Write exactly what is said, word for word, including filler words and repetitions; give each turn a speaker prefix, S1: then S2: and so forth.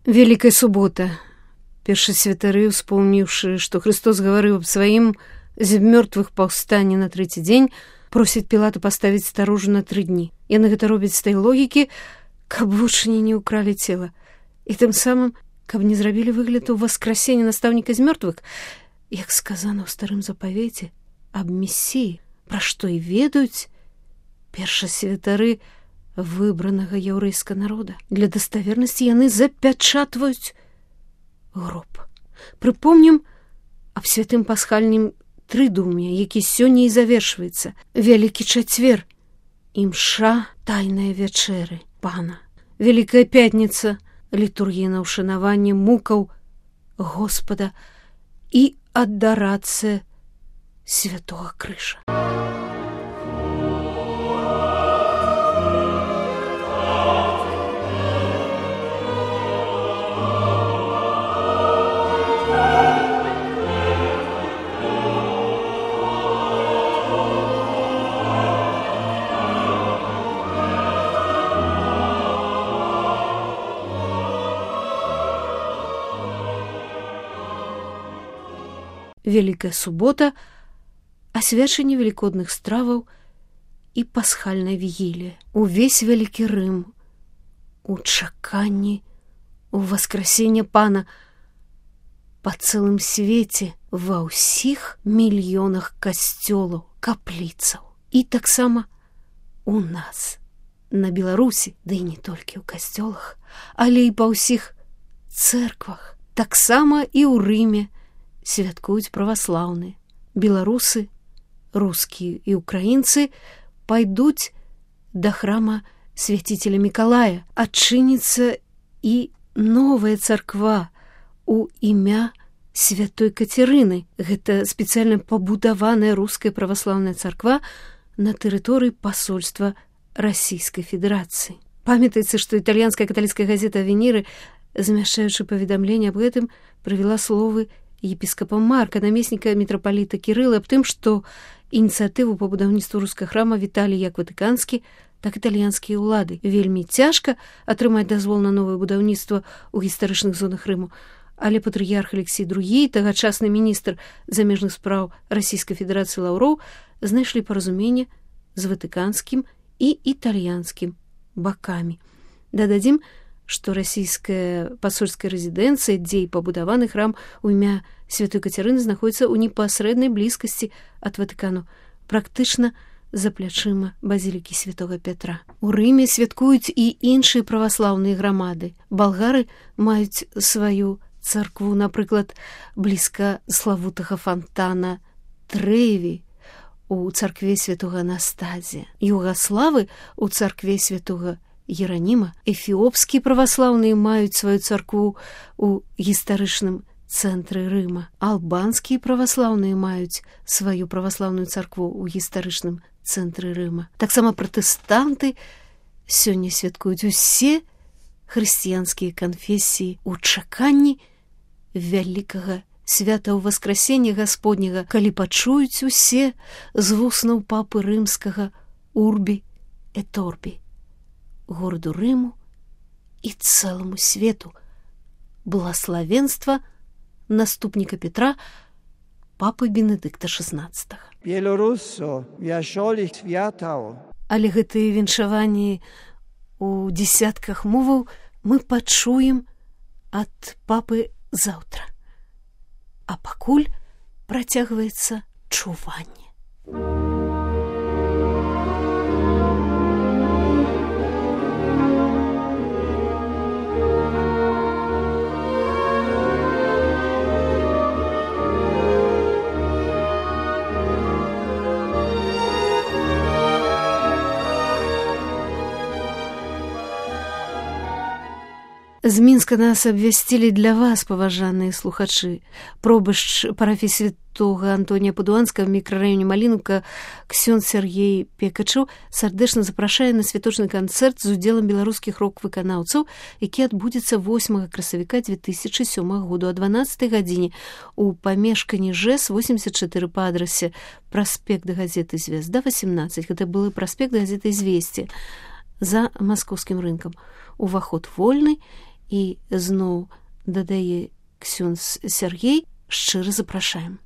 S1: Великая субота. Першасвятары, успомніўшы, што Христос гаварыў аб сваім з мёртвых паўстанні на трэці дзень, просяць Пілата паставіць старожу на тры дні. Яны гэта робяць з той логікі, каб вучні не ўкралі цела. І тым самым, каб не зрабілі выгляд у васкрасення настаўніка з мёртвых, як сказана ў старым запавеце аб Месіі, пра што і ведаюць першасвятары выбранага яўрэйскага народа. Для даставернасці яны запячатваюць гроб. Прыпомнім аб святым пасхальным трыдум'я, які сёння і завершваецца. Вялікі чацвер, імша тайныя вячэры Пана. Вялікая пятніца, літургія на ўшанаванне мукаў Господа і адарацыя святога крыжа. Великая субота, асвячэнне велікодных страваў і пасхальная вігілія. Увесь вялікі Рым у чаканні у васкрасення Пана па цэлым свеце, ва ўсіх мільёнах касцёлаў, капліцаў. І таксама у нас, на Беларусі, ды і не толькі ў касцёлах, але і па ўсіх цэрквах, таксама і ў Рыме святкуюць праваслаўныя. Беларусы, рускія і ўкраінцы пайдуць да храма свяціцеля Мікалая. Адчыніцца і новая царква у імя святой Кацярыны. Гэта спецыяльна пабудаваная руская праваслаўная царква на тэрыторыі пасольства Расійскай Федэрацыі. Памятаецца, што італьянская каталіцкая газета «Авеніры», змяшчаючы паведамленне аб гэтым, прывяла словы епіскапа Марка, намесніка мітрапаліта Кірыла, аб тым, што ініцыятыву па будаўніцтву рускага храма віталі як ватыканскі, так і італьянскія ўлады. Вельмі цяжка атрымаць дазвол на новае будаўніцтва ў гістарычных зонах Рыму, але патрыярх Алексій другі, тагачасны міністр замежных спраў Расійскай Федэрацыі Лаўроў, знайшлі паразуменне з ватыканскім і італьянскім бакамі. Дададзім, што расійская пасольская рэзідэнцыя, дзе і пабудаваны храм у імя святой Кацярыны, знаходзіцца ў непасрэднай блізкасці ад Ватыкану, практычна за плячыма базілікі святога Пятра. У Рыме святкуюць і іншыя праваслаўныя грамады. Балгары маюць сваю царкву, напрыклад, блізка славутага фантана Трэві у царкве святога Анастазія. Югаславы у царкве святога Ераніма. Эфіопскія праваслаўныя маюць сваю царкву ў гістарычным цэнтры Рыма. Албанскія праваслаўныя маюць сваю праваслаўную царкву ў гістарычным цэнтры Рыма. Таксама пратэстанты сёння святкуюць усе хрысціянскія канфесіі ў чаканні вялікага свята ў васкрасення Гасподняга, калі пачуюць усе з вуснаў папы рымскага «Урбі et Orbi» гораду Рыму і цэламу свету благаславенства наступніка Петра, папы Бенедыкта шаснаццатага. Але гэтыя віншаванні у дзесятках моваў мы пачуем ад папы заўтра. А пакуль працягваецца чуванне. З Мінска нас абвясцілі для вас, паважаныя слухачы. Пробашч парафіі святога Антонія Падуанскага в мікрараёне Малінаўка ксёндз Сяргей Пекачаў сардэчна запрашае на святочны канцэрт з удзелам беларускіх рок-выканаўцаў, які адбудзецца восьмага красавіка дзве тысячы сёмага году о дванаццатай гадзіне у памешканні ЖЭС восемьдесят четыре па адрасе праспект газеты «Звезда» восемнадцать. Гэта былы праспект газеты «Известия» за маскоўскім рынкам. Уваход вольны, І зноў дадае ксёндз Сяргей, шчыра запрашаем.